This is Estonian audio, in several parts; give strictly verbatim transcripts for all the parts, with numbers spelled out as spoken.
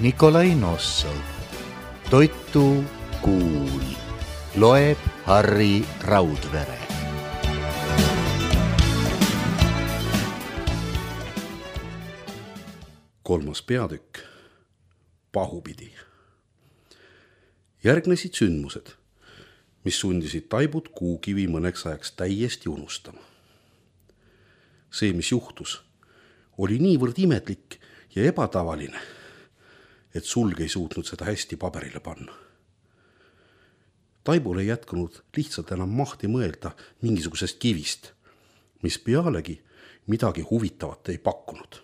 Nikolai Nossov. Toitu kuul. Loeb Harri Raudvere. Kolmas peatükk. Pahupidi. Järgnesid sündmused, mis sundisid Taibut Kuukivi mõneks ajaks täiesti unustama. See, mis juhtus, oli niivõrd imetlik ja ebatavaline, et Sulg ei suutnud seda hästi paberile panna. Taibul ei jätkunud lihtsalt enam mahti mõelda mingisugusest kivist, mis pealegi midagi huvitavat ei pakkunud.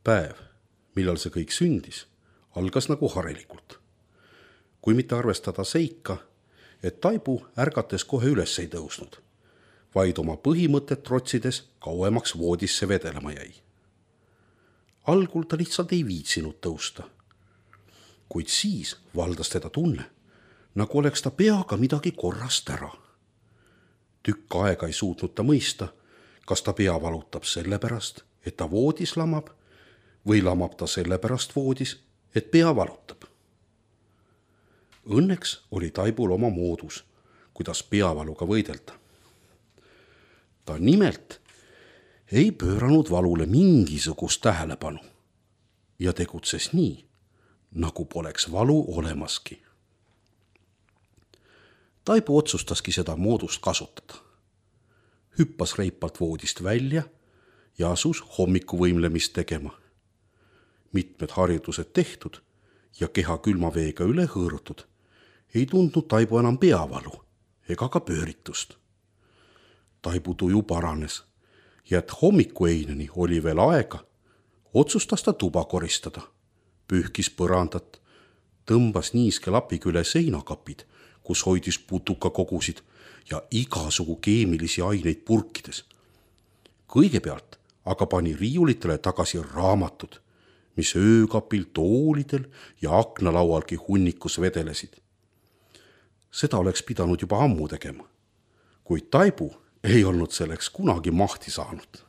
Päev, millal see kõik sündis, algas nagu harilikult. Kui mitte arvestada seika, et Taibu ärgates kohe üles ei tõusnud, vaid oma põhimõtet trotsides kauemaks voodisse vedelema jäi. Algul ta lihtsalt ei viitsinud tõusta, kuid siis valdas teda tunne, nagu oleks ta peaga midagi korrast ära. Tükk aega ei suutnud ta mõista, kas ta pea valutab sellepärast, et ta voodis lamab, või lamab ta sellepärast voodis, et pea valutab. Õnneks oli Taibul oma moodus, kuidas peavaluga võidelda. Ta nimelt ei pööranud valule mingisugust tähelepanu ja tegutses nii, nagu poleks valu olemaski. Taibu otsustaski seda moodust kasutada. Hüppas reipalt voodist välja ja asus hommikuvõimlemist tegema. Mitmed harjutused tehtud ja keha külma veega üle hõõrutud, ei tundnud Taibu enam peavalu ega ka pööritust. Taibu tuju paranes ja et hommikueineni oli veel aega, otsustas ta tuba koristada, pühkis põrandat, tõmbas niiske lapiga üle seinakapid, kus hoidis putukakogusid ja igasugu keemilisi aineid purkides. Kõigepealt aga pani riiulitele tagasi raamatud, mis öökapil, toolidel ja aknalaualgi hunnikus vedelesid. Seda oleks pidanud juba ammu tegema, kuid Taibu ei olnud selleks kunagi mahti saanud.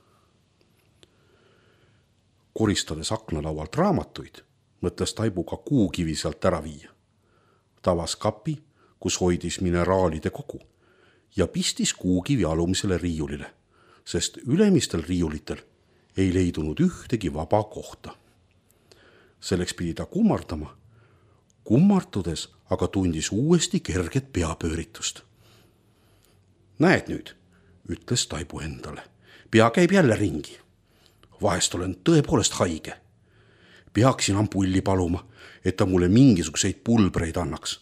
Koristades aknalaualt raamatuid, mõtles Taibu ka Kuukivi sealt ära viia. Tavas kapi, kus hoidis mineraalide kogu ja pistis Kuukivi alumisele riiulile, sest ülemistel riiulitel ei leidunud ühtegi vaba kohta. Selleks pidi ta kummardama, kummartudes aga tundis uuesti kerget peapööritust. Näed nüüd, ütles Taibu endale, pea käib jälle ringi. Vahest olen tõepoolest haige. Peaksin ampulli paluma, et ta mulle mingisuguseid pulbreid annaks.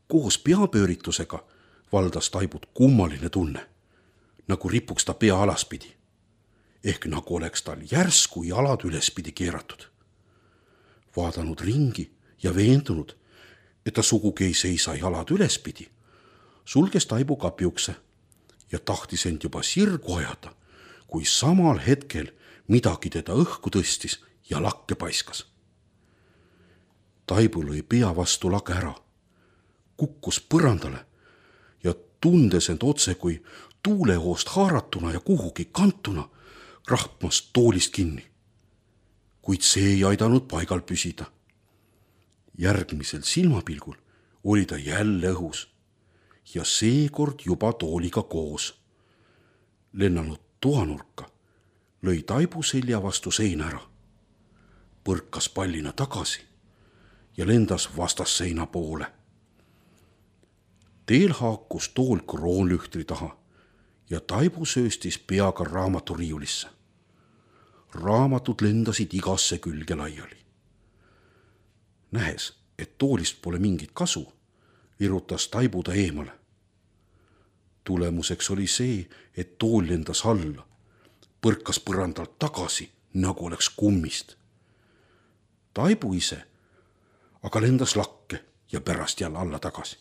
Koos peapööritusega valdas Taibut kummaline tunne, nagu ripuks ta pea alaspidi. Ehk nagu oleks tal järsku jalad ülespidi keeratud. Vaadanud ringi ja veendunud, et ta sugugi ei seisa jalad ülespidi, sulges Taibu kapiukse ja tahtis end juba sirgu ajada, kui samal hetkel midagi teda õhku tõstis ja lakke paiskas. Taibu lõi pea vastu lage ära, kukkus põrandale ja tundes end otse kui tuulehoost haaratuna ja kuhugi kantuna, rahmas toolist kinni, kuid see ei aidanud paigal püsida. Järgmisel silmapilgul oli ta jälle õhus ja seekord juba tooliga koos. Lennanud toanurka lõi Taibu selja vastu seina ära, põrkas pallina tagasi ja lendas vastasseina poole. Teel haakus tool kroonlühtri taha ja Taibu sööstis peaga raamaturiiulisse. Raamatud lendasid igasse külge laiali. Nähes, et toolist pole mingit kasu, virutas Taibu ta eemale. Tulemuseks oli see, et tool lendas alla, põrkas põrandalt tagasi, nagu oleks kummist. Taibu ise aga lendas lakke ja pärast jälle alla tagasi.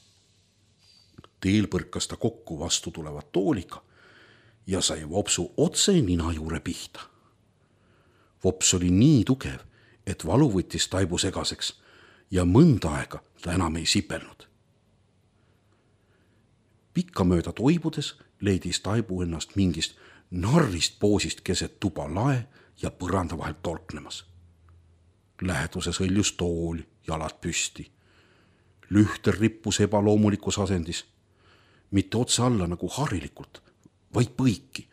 Teel põrkas ta kokku vastu tulevat tooliga ja sai vopsu otse nina juure pihta. Vops oli nii tugev, et valu võttis Taibu segaseks ja mõnda aega ta enam ei sipelnud. Pikka mööda toibudes leidis Taibu ennast mingist narrist poosist keset tuba lae ja põranda vahelt tolknemas. Läheduses hõljus tool, jalad püsti. Lühter rippus ebaloomulikus asendis, mitte otse alla nagu harilikult, vaid põiki.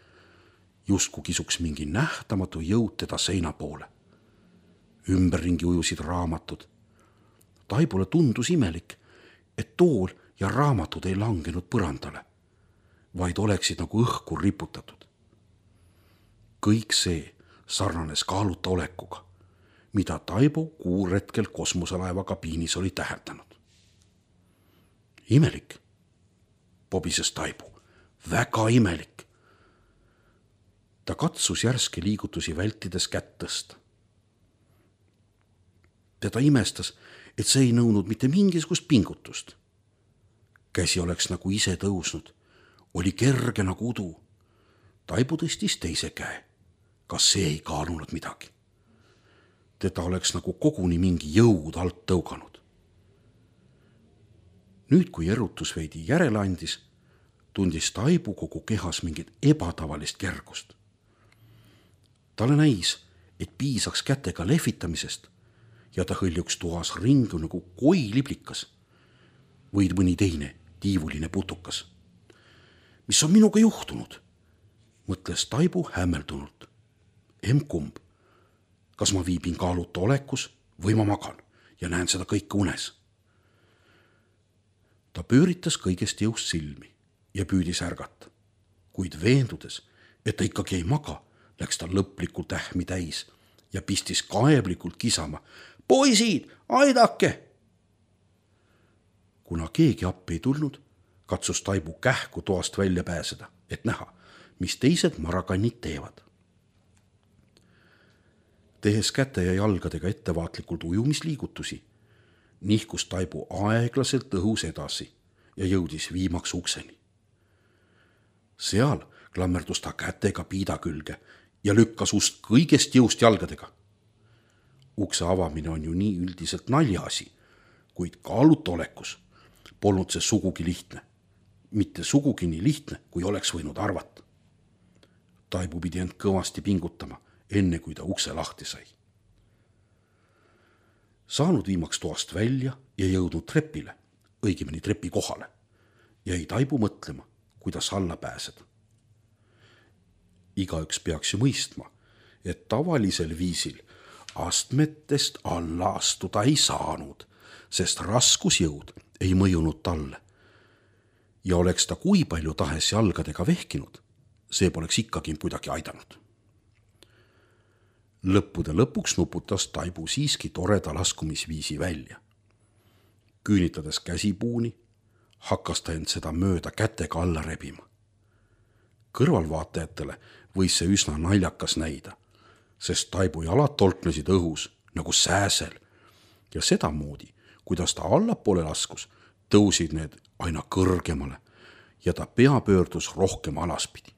Justkui kisuks mingi nähtamatu jõud teda seina poole. Ümberringi ujusid raamatud. Taibule tundus imelik, et tool ja raamatud ei langenud põrandale, vaid oleksid nagu õhku riputatud. Kõik see sarnanes kaaluta olekuga, mida Taibu kuuretkel kosmoselaeva kabiinis oli täheldanud. Imelik, pobises Taibu, väga imelik. Ta katsus järske liigutusi vältides kätt tõsta. Teda imestas, et see ei nõudnud mitte mingisugust pingutust. Käsi oleks nagu ise tõusnud, oli kerge nagu udu. Taibu tõstis teise käe. Kas see ei kaalunud midagi? Teda oleks nagu koguni mingi jõud alt tõuganud. Nüüd, kui erutus veidi järele andis, tundis Taibu kogu kehas mingit ebatavalist kergust. Talle näis, et piisaks kätega lehvitamisest ja ta hõljuks toas ringu nagu koiliblikas või mõni teine tiivuline putukas. Mis on minuga juhtunud? Mõtles Taibu hämmeldunult. Emkumb, kas ma viibin kaaluta olekus või ma magan ja näen seda kõike unes? Ta pööritas kõigest jõust silmi ja püüdis ärgata, kuid veendudes, et ta ikkagi ei maga, läks ta lõplikult ähmi täis ja pistis kaeblikult kisama. Poisid, aidake! Kuna keegi appi ei tulnud, katsus Taibu kähku toast välja pääseda, et näha, mis teised marakannid teevad. Tehes käte ja jalgadega ettevaatlikult ujumisliigutusi, nihkus Taibu aeglaselt õhus edasi ja jõudis viimaks ukseni. Seal klammerdus ta kätega piida külge ja lükkas ust kõigest jõust jalgadega. Ukse avamine on ju nii üldiselt naljaasi, kuid kaaluta olekus polnud see sugugi lihtne. Mitte sugugi nii lihtne, kui oleks võinud arvata. Taibu pidi end kõvasti pingutama, enne kui ta ukse lahti sai. Saanud viimaks toast välja ja jõudnud trepile, õigemini trepi kohale, jäi Taibu mõtlema, kuidas alla pääseda. Igaüks peaks ju mõistma, et tavalisel viisil astmetest alla astuda ei saanud, sest raskusjõud ei mõjunud talle. Ja oleks ta kui palju tahes jalgadega vehkinud, see poleks ikkagi kuidagi aidanud. Lõppude lõpuks nuputas Taibu siiski toreda laskumisviisi välja. Küünitades käsipuuni, hakkas ta end seda mööda kätega alla rebima. Kõrvalvaatajatele võis see üsna naljakas näida, sest Taibu jalad tolknesid õhus nagu sääsel ja sedamoodi, kuidas ta allapoole laskus, tõusid need aina kõrgemale ja ta pea pöördus rohkem alaspidi.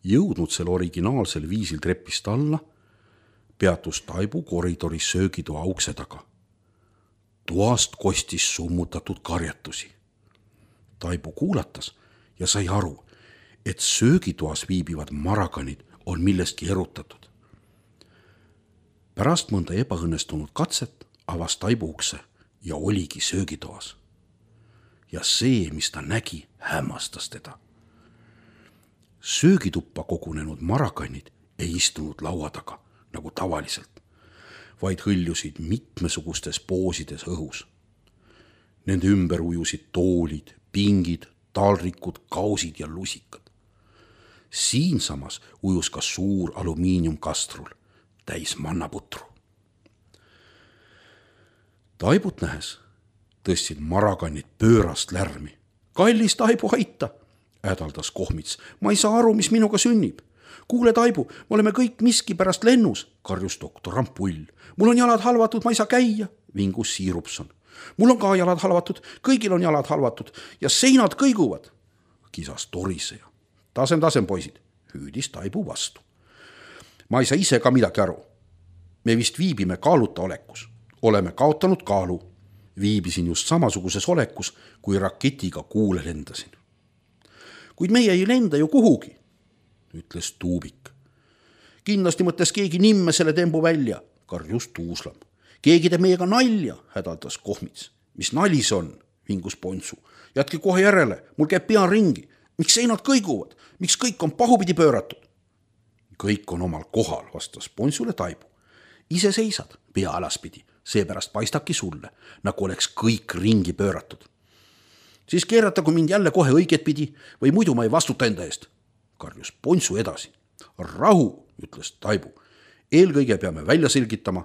Jõudnud sel originaalsel viisil trepist alla, peatus Taibu koridoris söögitoa ukse taga. Toast kostis summutatud karjatusi. Taibu kuulatas ja sai aru, et söögitoas viibivad marakanid on millestki erutatud. Pärast mõnda ebaõnnestunud katset avas Taibu ukse ja oligi söögitoas. Ja see, mis ta nägi, hämmastas teda. Söögituppa kogunenud marakannid ei istunud laua taga, nagu tavaliselt, vaid hõljusid mitmesugustes poosides õhus. Nende ümber ujusid toolid, pingid, talrikud, kausid ja lusikad. Siinsamas ujus ka suur alumiiniumkastrul, täis mannaputru. Taibut nähes tõstsid marakannid pöörast lärmi. Kallis Taibu, aita! Hädaldas Kohmits. Ma ei saa aru, mis minuga sünnib. Kuule, Taibu, me oleme kõik miski pärast lennus, karjus doktor Rampull. Mul on jalad halvatud, ma ei saa käia, vingus Siirupson. Mul on ka jalad halvatud, kõigil on jalad halvatud ja seinad kõiguvad, kisas Toriseja. Tasem, tasem, poisid, hüüdis Taibu vastu. Ma ei saa ise ka midagi aru. Me vist viibime kaaluta olekus. Oleme kaotanud kaalu. Viibisin just samasuguses olekus, kui raketiga kuule lendasin. kuid meie ei lenda ju kuhugi, ütles Tuubik. Kindlasti mõtles keegi nimme selle tembu välja, karjus Tuuslam. Keegi teeb meiega nalja, hädaldas Kohmits. Mis nali see on, vingus Pontsu. Jätke kohe järele, mul käib pea ringi. Miks seinad kõiguvad? Miks kõik on pahupidi pööratud? Kõik on omal kohal, vastas Pontsule Taibu. Ise seisad pea alaspidi, seepärast paistabki sulle, nagu oleks kõik ringi pööratud. Siis keeratagu mind jälle kohe õiget pidi või muidu ma ei vastuta enda eest, karjus Pontsu edasi. Rahu, ütles Taibu. Eelkõige peame välja selgitama,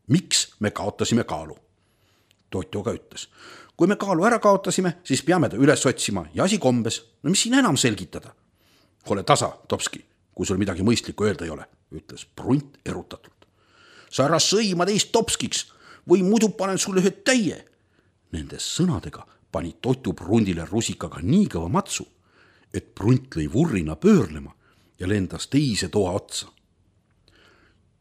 miks me kaotasime kaalu. Totjo ka ütles, kui me kaalu ära kaotasime, siis peame ta üles otsima ja asi kombes. No mis siin enam selgitada? Ole tasa, Topski, kui sul midagi mõistlikku öelda ei ole, ütles Prunt erutatult. Sa ära sõima teist Topskiks või muidu panen sulle ühe täie. Nende sõnadega pani Totu Prundile rusikaga nii kõva matsu, et Prunt lõi vurrina pöörlema ja lendas teise toa otsa.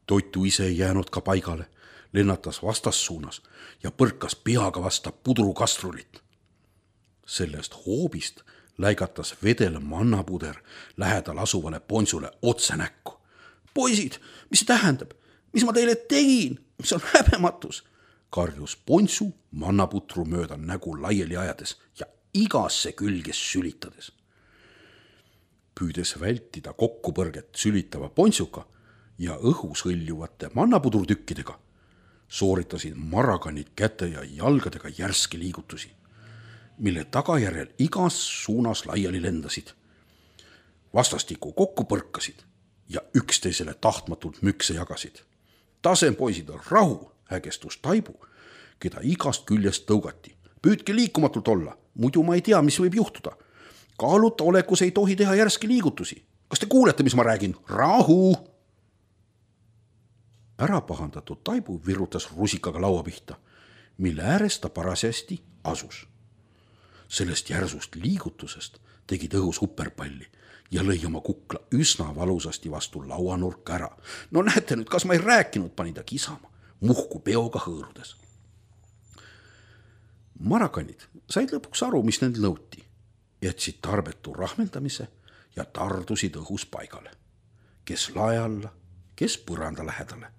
Totu ise ei jäänud ka paigale, lennatas vastassuunas ja põrkas peaga vasta pudrukastrulit. Sellest hoobist läigatas vedel mannapuder lähedal asuvale Pontsule otse näkku. Poisid, mis see tähendab? Mis ma teile tegin? See on häbematus, karjus Pontsu mannaputru mööda nägu laiali ajades ja igasse külges sülitades. Püüdes vältida kokkupõrget sülitava Pontsuka ja õhus hõljuvate mannapudrutükkidega, sooritasid maraganid käte ja jalgadega järski liigutusi, mille tagajärjel igas suunas laiali lendasid. Vastastikku kokku põrkasid ja üksteisele tahtmatult mükse jagasid. Tasem poisid on rahu, hägestus Taibu, keda igast küljest tõugati. Püüdke liikumatult olla, muidu ma ei tea, mis võib juhtuda. Kaaluta olekus ei tohi teha järski liigutusi. Kas te kuulete, mis ma räägin? Rahu! Ära pahandatud Taibu virutas rusikaga laua pihta, mille ääres ta parasjasti asus. Sellest järsust liigutusest tegid õhus hupperpalli ja lõi oma kukla üsna valusasti vastu lauanurka ära. No näete nüüd, kas ma ei rääkinud, pani ta kisama, muhku peoga hõõrudes. Marakanid said lõpuks aru, mis nend nõuti, jätsid tarbetu rahmendamise ja tardusid õhus paigale. Kes lae alla, kes põranda lähedale,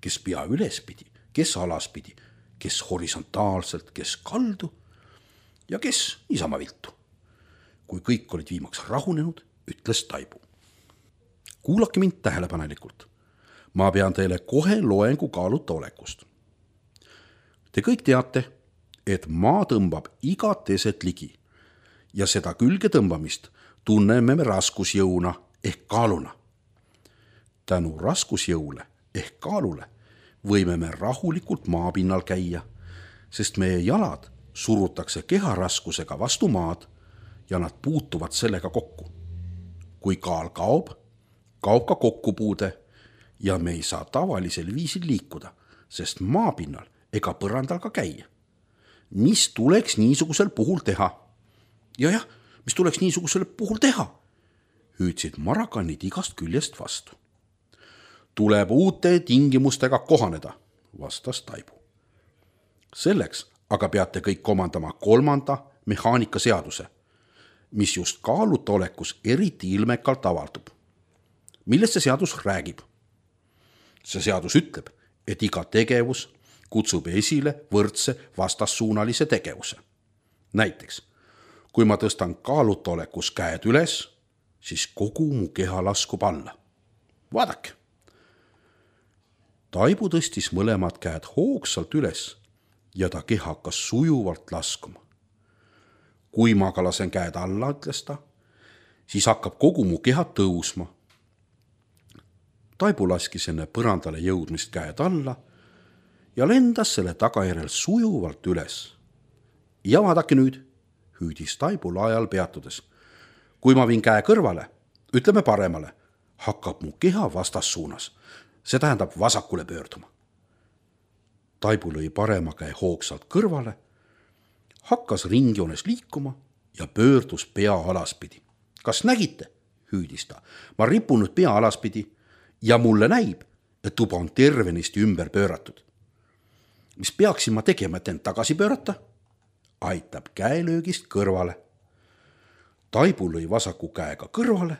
kes pea ülespidi, kes alaspidi, kes horisontaalselt, kes kaldu ja kes niisama viltu. Kui kõik olid viimaks rahunenud, ütles Taibu. Kuulake mind tähelepanelikult. Ma pean teile kohe loengu kaaluta olekust. Te kõik teate, et maa tõmbab igat eset ligi ja seda külge tõmbamist tunneme me raskusjõuna ehk kaaluna. Tänu raskusjõule ehk kaalule võime me rahulikult maapinnal käia, sest meie jalad surutakse keharaskusega vastu maad ja nad puutuvad sellega kokku. Kui kaal kaob, kaob ka kokkupuude ja me ei saa tavalisel viisil liikuda, sest maapinnal ega põrandal ka käia. Mis tuleks niisugusel puhul teha? Ja jah, mis tuleks niisugusel puhul teha? Hüüdsid marakanid igast küljest vastu. Tuleb uute tingimustega kohaneda, vastas Taibu. Selleks aga peate kõik omandama kolmanda mehaanikaseaduse, mis just kaaluta olekus eriti ilmekalt avaldub. Millest see seadus räägib? See seadus ütleb, et iga tegevus kutsub esile võrdse vastassuunalise tegevuse. Näiteks, kui ma tõstan kaaluta olekus käed üles, siis kogu mu keha laskub alla. Vaadake. Taibu tõstis mõlemad käed hoogsalt üles ja ta keha hakkas sujuvalt laskuma. Kui ma ka lasen käed alla, ütles ta, siis hakkab kogu mu keha tõusma. Taibu laskis enne põrandale jõudmist käed alla ja lendas selle tagajärjel sujuvalt üles. Ja vaadake nüüd, hüüdis Taibu laajal peatudes. Kui ma viin käe kõrvale, ütleme paremale, hakkab mu keha vastassuunas. See tähendab vasakule pöörduma. Taibu lõi parema käe hoogsalt kõrvale, hakkas ringjoones liikuma ja pöördus pea alaspidi. Kas nägite? Hüüdis ta. Ma ripun nüüd pea alaspidi ja mulle näib, et tuba on tervenisti ümber pööratud. Mis peaksin ma tegema, et end tagasi pöörata? Aitab käelöögist kõrvale. Taibu lõi vasaku käega kõrvale,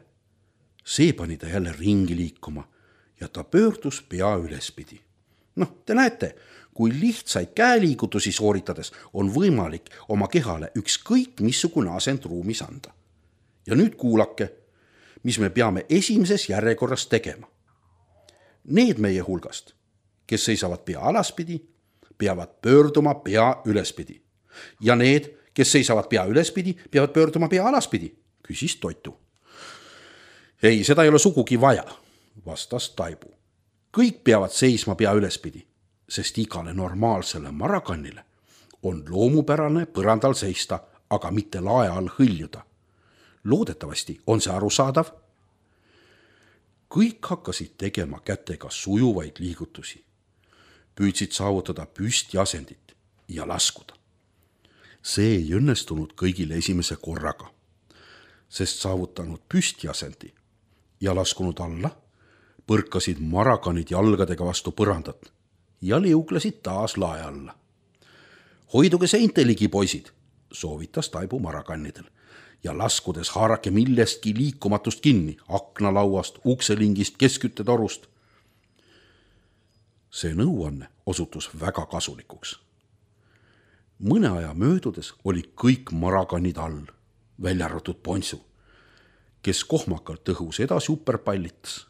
see pani ta jälle ringi liikuma ja ta pöördus pea ülespidi. Noh, te näete, kui lihtsaid käeliigutusi sooritades on võimalik oma kehale ükskõik missugune asend ruumis anda. Ja nüüd kuulake, mis me peame esimeses järjekorras tegema. Need meie hulgast, kes seisavad pea alaspidi, peavad pöörduma pea ülespidi. Ja need, kes seisavad pea ülespidi, peavad pöörduma pea alaspidi, küsis Toitu. Ei, seda ei ole sugugi vaja, vastas Taibu. Kõik peavad seisma pea ülespidi, sest igale normaalsele marakannile on loomupärane põrandal seista, aga mitte lae all hõljuda. Loodetavasti on see arusaadav. Kõik hakkasid tegema kätega sujuvaid liigutusi. Püüdsid saavutada püsti asendit ja laskuda. See ei õnnestunud kõigile esimese korraga, sest saavutanud püsti asendi ja laskunud alla, põrkasid marakanid jalgadega vastu põrandat ja liuglesid taas lae alla. Hoiduge seinte ligi, poisid, soovitas Taibu marakannidel ja laskudes haarake millestki liikumatust kinni, aknalauast, ukselingist, keskküttetorust. See nõuanne osutus väga kasulikuks. Mõne aja möödudes oli kõik marakannid all, välja arvatud Ponsu, kes kohmakalt õhus edasi uperpallitas.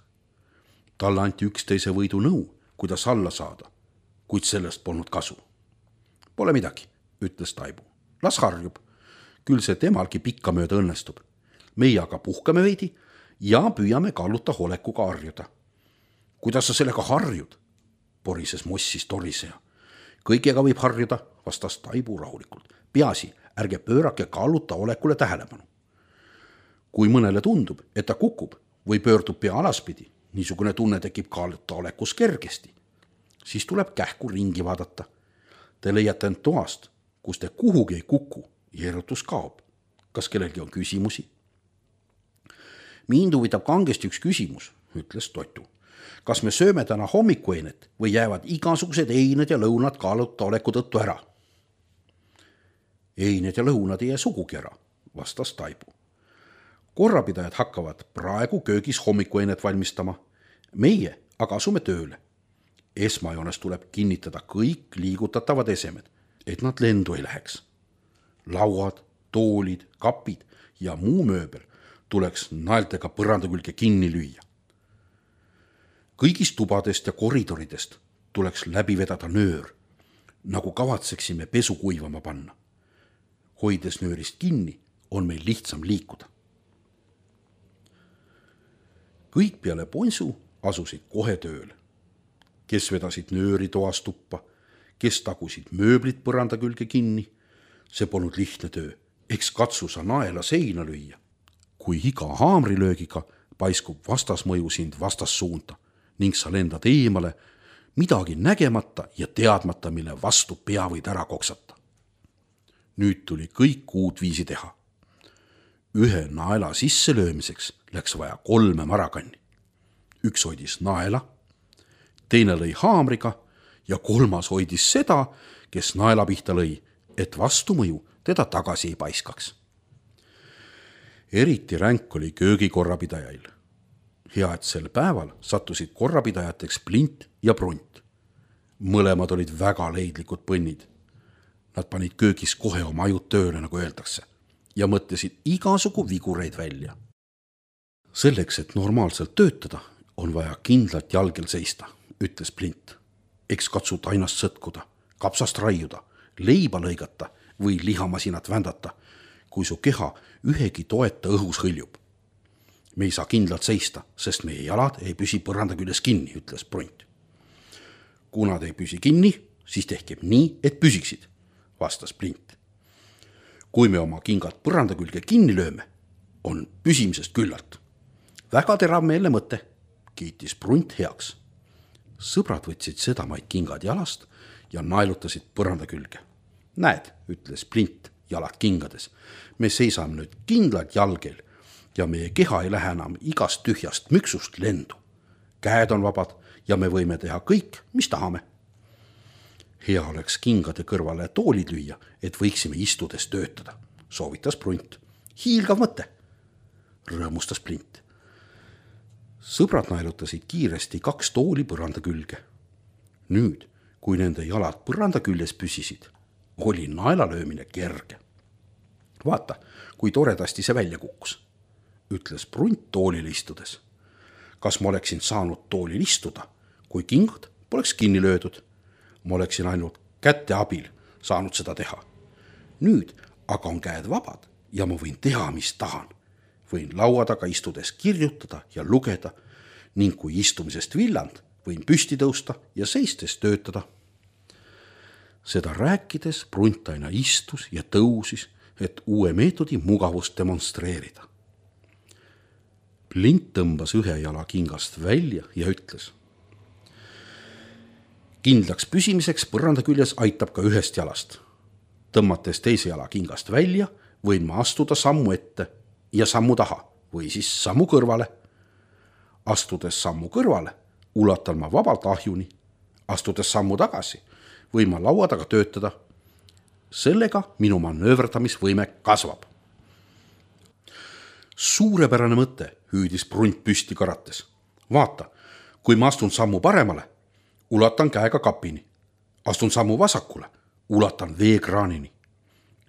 Talle anti üksteise võidu nõu, kuidas alla saada, kuid sellest polnud kasu. Pole midagi, ütles Taibu. Las harjub, küll see temalgi pikka mööda õnnestub. Meie aga puhkame veidi ja püüame kalluta holekuga harjuda. Kuidas sa sellega harjud? Porises mossis toriseja. Kõigega võib harjuda, vastas Taibu rahulikult. Peasi, ärge pöörake kalluta olekule tähelepanu. Kui mõnele tundub, et ta kukub või pöördub pea alaspidi, niisugune tunne tekib kalluta olekus kergesti, siis tuleb kähku ringi vaadata. Te leiate end toast, kus te kuhugi ei kuku ja erutus kaob. Kas kellelgi on küsimusi? Mind huvitab kangesti üks küsimus, ütles Toitu. Kas me sööme täna hommikueinet või jäävad igasugused eined ja lõunad kalluta oleku tõttu ära? Eined ja lõunad ei jää sugugi ära, vastas Taibu. Korrapidajad hakkavad praegu köögis hommikueinet valmistama. Meie aga asume tööle. Esmajoones tuleb kinnitada kõik liigutatavad esemed, et nad lendu ei läheks. Lauad, toolid, kapid ja muu mööbel tuleks naeltega põranda külge kinni lüüa. Kõigist tubadest ja koridoridest tuleks läbi vedada nöör, nagu kavatseksime pesu kuivama panna. Hoides nöörist kinni, on meil lihtsam liikuda. Kõik peale Ponsu asusid kohe tööle. Kes vedasid nööri toas tuppa, kes tagusid mööblit põranda külge kinni. See polnud lihtne töö, eks katsu sa naela seina lüüa. Kui iga haamrilöögiga paiskub vastasmõju sind vastassuunta ning sa lendad eemale, midagi nägemata ja teadmata, mille vastu pea võid ära koksata. Nüüd tuli kõik uut viisi teha. Ühe naela sisse löömiseks läks vaja kolme marakanni. Üks hoidis naela, teine lõi haamriga ja kolmas hoidis seda, kes naela pihta lõi, et vastumõju teda tagasi ei paiskaks. Eriti ränk oli köögikorrapidajail. Hea, et sel päeval sattusid korrapidajateks Plint ja Brunt. Mõlemad olid väga leidlikud põnnid. Nad panid köögis kohe oma ajud tööle, nagu öeldakse, ja mõtlesid igasugu vigureid välja. Selleks, et normaalselt töötada, on vaja kindlalt jalgel seista, ütles Plint. Eks katsud ainast sõtkuda, kapsast raiuda, leiba lõigata või lihamasinat vändata, kui su keha ühegi toeta õhus hõljub. Me ei saa kindlalt seista, sest meie jalad ei püsi põranda küljes kinni, ütles Brunt. Kuna te ei püsi kinni, siis tehkem nii, et püsiksid, vastas Plint. Kui me oma kingad põranda külge kinni lööme, on püsimisest küllalt. Väga terav meelne mõte, kiitis Brunt heaks. Sõbrad võtsid sedamaid kingad jalast ja naelutasid põranda külge. Näed, ütles Plint jalad kingades, me seisame nüüd kindlalt jalgel ja meie keha ei lähe enam igast tühjast müksust lendu. Käed on vabad ja me võime teha kõik, mis tahame. Hea oleks kingade kõrvale toolid lüüa, et võiksime istudes töötada, soovitas Brunt. Hiilgav mõte. rõõmustas Plint. Sõbrad naelutasid kiiresti kaks tooli põranda külge. Nüüd, kui nende jalad põranda küljes püsisid, oli naelalöömine kerge. Vaata, kui toredasti see välja kukkus, ütles Prunt toolil istudes. Kas ma oleksin saanud toolil istuda, kui kingad poleks kinni löödud? Ma oleksin ainult käte abil saanud seda teha. Nüüd aga on käed vabad ja ma võin teha, mis tahan. Võin laua taga istudes kirjutada ja lugeda ning kui istumisest villand, võin püsti tõusta ja seistes töötada. Seda rääkides Prunt aina istus ja tõusis, et uue meetodi mugavust demonstreerida. Plint tõmbas ühe jala kingast välja ja ütles. Kindlaks püsimiseks põranda küljes aitab ka ühest jalast. Tõmmates teise jala kingast välja, võin ma astuda sammu ette ja sammu taha või siis sammu kõrvale. Astudes sammu kõrvale, ulatan ma vabalt ahjuni. Astudes sammu tagasi, võin ma laua taga töötada. Sellega minu manööverdamisvõime kasvab. Suurepärane mõte, hüüdis Prunt püsti karates. Vaata, kui ma astun sammu paremale, ulatan käega kapini. Astun sammu vasakule, ulatan veekraanini.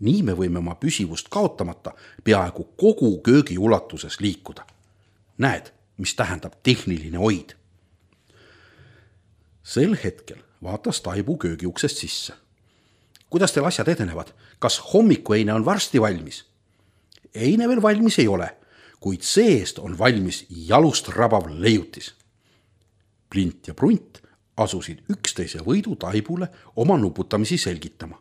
Nii me võime oma püsivust kaotamata peaaegu kogu köögi ulatuses liikuda. Näed, mis tähendab tehniline hoid. Sel hetkel vaatas Taibu köögiuksest sisse. Kuidas teil asjad edenevad? Kas hommikueine on varsti valmis? Eine veel valmis ei ole, kuid seest on valmis jalust rabav leiutis. Plint ja Prunt asusid üksteise võidu Taibule oma nuputamisi selgitama.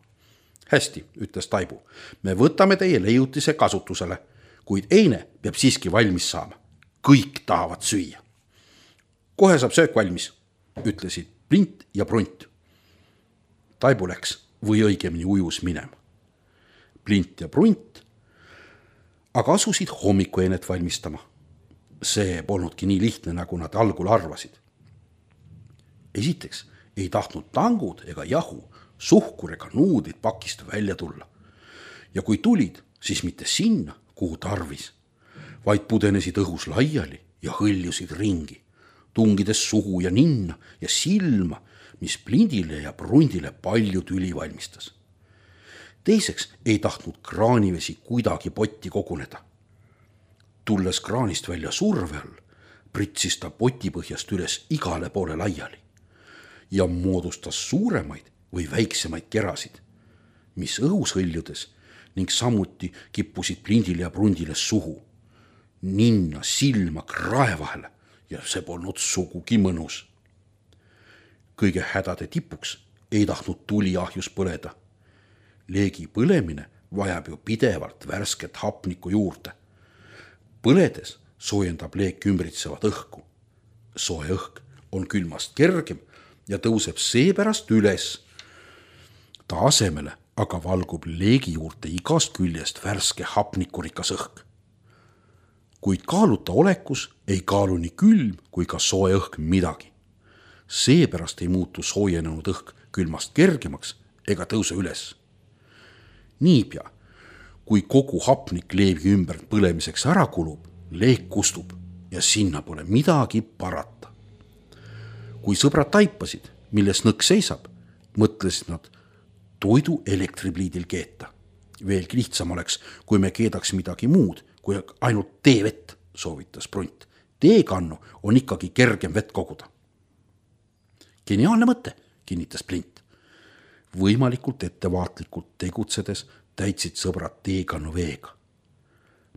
Hästi, ütles Taibu, me võtame teie leiutise kasutusele, kuid eine peab siiski valmis saama. Kõik tahavad süüa. Kohe saab söök valmis, ütlesid Plint ja Prunt. Taibu läks või õigemini ujus minema. Plint ja Prunt aga asusid hommikueenet valmistama. See polnudki nii lihtne, nagu nad algul arvasid. Esiteks ei tahtnud tangud ega jahu, suhkur ega nuudid pakist välja tulla. Ja kui tulid, siis mitte sinna, kuhu tarvis, vaid pudenesid õhus laiali ja hõljusid ringi, tungides suhu ja ninna ja silma, mis Plindile ja Prundile palju tüli valmistas. Teiseks ei tahtnud kraanivesi kuidagi potti koguneda. Tulles kraanist välja surve all, pritsis ta potipõhjast üles igale poole laiali ja moodustas suuremaid või väiksemaid kerasid, mis õhus hõljudes ning samuti kippusid Plindile ja Prundile suhu, ninna, silma, krae vahele ja see polnud sugugi mõnus. Kõige hädade tipuks ei tahtnud tuli ahjus põleda. Leegi põlemine vajab ju pidevalt värsket hapnikku juurde. Põledes soojendab leek ümbritsevat õhku. Soe õhk on külmast kergem ja tõuseb seepärast üles. Ta asemele aga valgub leegi juurde igast küljest värske hapnikurikas õhk. Kuid kaaluta olekus ei kaalu nii külm kui ka soe õhk midagi. Seepärast ei muutu soojenenud õhk külmast kergemaks ega tõuse üles. Niipea, kui kogu hapnik leevi ümber põlemiseks ära kulub, leek kustub ja sinna pole midagi parata. Kui sõbrad taipasid, milles nõks seisab, mõtlesid nad toidu elektripliidil keeta. Veelgi lihtsam oleks, kui me keedaks midagi muud, kui ainult teevett, soovitas Prunt. Teekannu on ikkagi kergem vett koguda. Geniaalne mõte, kinnitas Plint. Võimalikult ettevaatlikult tegutsedes täitsid sõbrad teekannu veega.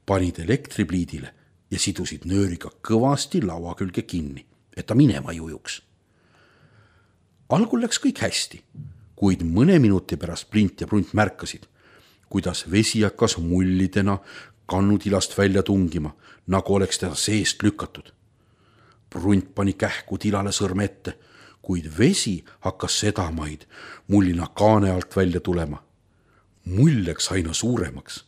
Panid elektripliidile ja sidusid nööriga kõvasti laua külge kinni, et ta minema ei ujuks. Algul läks kõik hästi, kuid mõne minuti pärast Plint ja Prunt märkasid, kuidas vesi hakkas mullidena kannutilast välja tungima, nagu oleks teda seest lükatud. Prunt pani kähku tilale sõrme ette, kuid vesi hakkas sedamaid mullina kaane alt välja tulema. Mull läks aina suuremaks.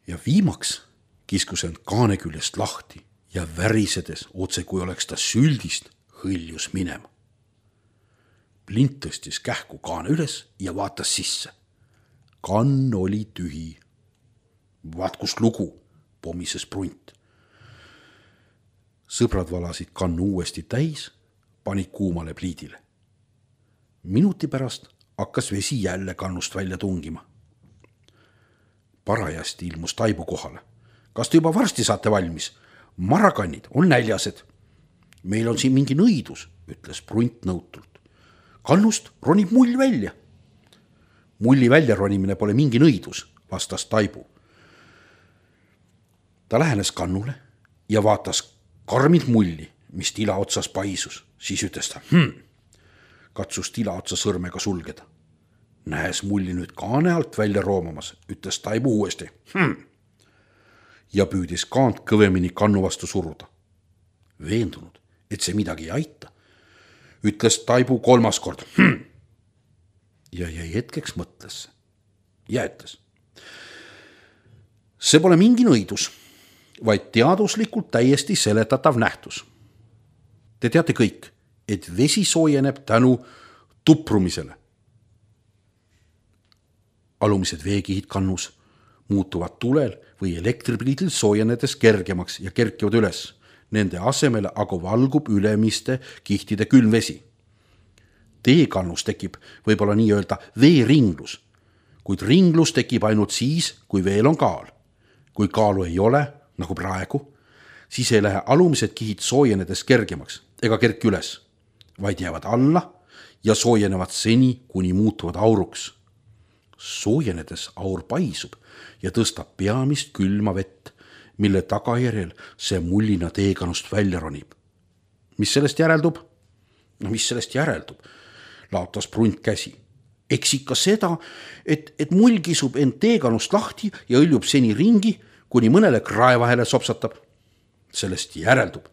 Ja viimaks kiskus end kaane küljest lahti ja värisedes, otse kui oleks ta süldist, hõljus minema. Plint tõstis kähku kaane üles ja vaatas sisse. Kann oli tühi. Vaat kus lugu, pomises Prunt. Sõbrad valasid kannu uuesti täis, panid kuumale pliidile. Minuti pärast hakkas vesi jälle kannust välja tungima. Parajasti ilmus Taibu kohale. Kas te juba varsti saate valmis? Marakannid on näljased. Meil on siin mingi nõidus, ütles Prunt nõutult. Kannust ronib mull välja. Mulli välja ronimine pole mingi nõidus, vastas Taibu. Ta lähenes kannule ja vaatas karmid mulli, mis tila otsas paisus. Siis ütles ta, hmm. katsus tila otsa sõrmega sulgeda. Nähes mulli nüüd kaane alt välja roomamas, ütles Taibu uuesti, hmm. ja püüdis kaant kõvemini kannu vastu suruda. Veendunud, et see midagi ei aita, ütles Taibu kolmas kord, hmm. ja jäi hetkeks mõtlesse ja ütles. See pole mingi nõidus, vaid teaduslikult täiesti seletatav nähtus. Te teate kõik, et vesi soojeneb tänu tuprumisele. Alumised veekihid kannus muutuvad tulel või elektripliidil soojenedes kergemaks ja kerkivad üles. Nende asemele aga valgub ülemiste kihtide külmvesi. Teekannus tekib võib-olla nii öelda veeringlus, kuid ringlus tekib ainult siis, kui veel on kaal. Kui kaalu ei ole, nagu praegu, siis ei lähe alumised kihid soojenedes kergemaks ega kerki üles, vaid jäävad alla ja soojenevad seni, kuni muutuvad auruks. Soojenedes aur paisub ja tõstab peamist külma vett, mille tagajärjel see mullina teekannust välja ronib. Mis sellest järeldub? No mis sellest järeldub? Laotas Prunt käsi. Eks ikka seda, et, et mull kisub end teekannust lahti ja õljub seni ringi, kuni mõnele krae vahele sopsatab. Sellest järeldub,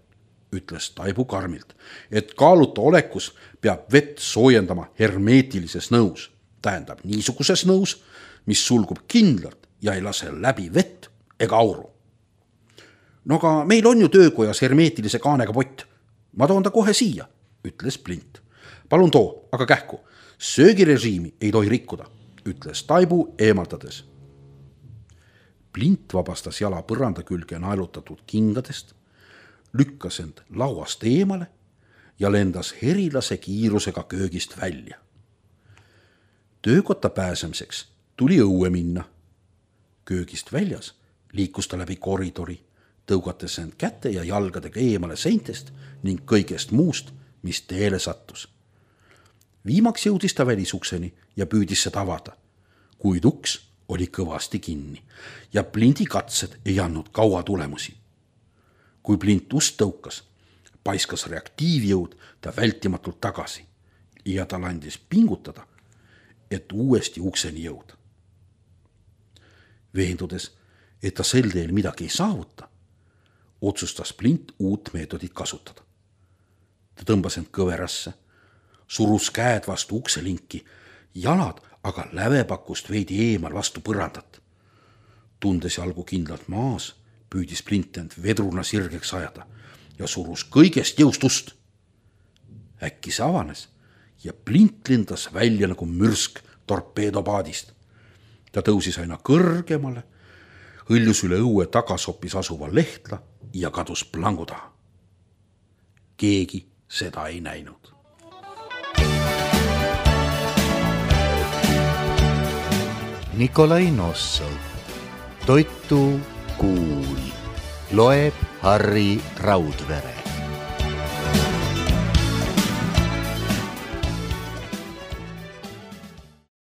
ütles Taibu karmilt, et kaaluta olekus peab vett soojendama hermeetilises nõus. Tähendab niisuguses nõus, mis sulgub kindlalt ja ei lase läbi vett ega auru. No aga meil on ju töökojas hermeetilise kaanega pott. Ma toon ta kohe siia, ütles Plint. Palun too, aga kähku. Söögirežiimi ei tohi rikkuda, ütles Taibu eemaldades. Plint vabastas jala põranda külge naelutatud kingadest, lükkas end lauast eemale ja lendas herilase kiirusega köögist välja. Töökotta pääsemiseks tuli õue minna. Köögist väljas liikus ta läbi koridori, tõugates end käte ja jalgadega eemale seintest ning kõigest muust, mis teele sattus. Viimaks jõudis ta välisukseni ja püüdis seda avada, kuid uks oli kõvasti kinni ja Plinti katsed ei andnud kaua tulemusi. Kui Plint ust tõukas, paiskas reaktiivjõud ta vältimatult tagasi ja tal andis pingutada, et uuesti ukseni jõuda. Veendudes, et ta sel teel midagi ei saavuta, otsustas Plint uut meetodit kasutada. Ta tõmbas end kõverasse, surus käed vastu ukselinki, jalad aga lävepakust veidi eemal vastu põrandat. Tundes jalgu kindlalt maas, püüdis Plint end vedruna sirgeks ajada ja surus kõigest jõust ust. Äkki see avanes ja Plint lendas välja nagu mürsk torpeedopaadist. Ta tõusis aina kõrgemale, hõljus üle õue tagasopis asuva lehtla ja kadus plangu taha. Keegi seda ei näinud. Nikolai Nossov, Toitu kuul, loeb Harri Raudvere.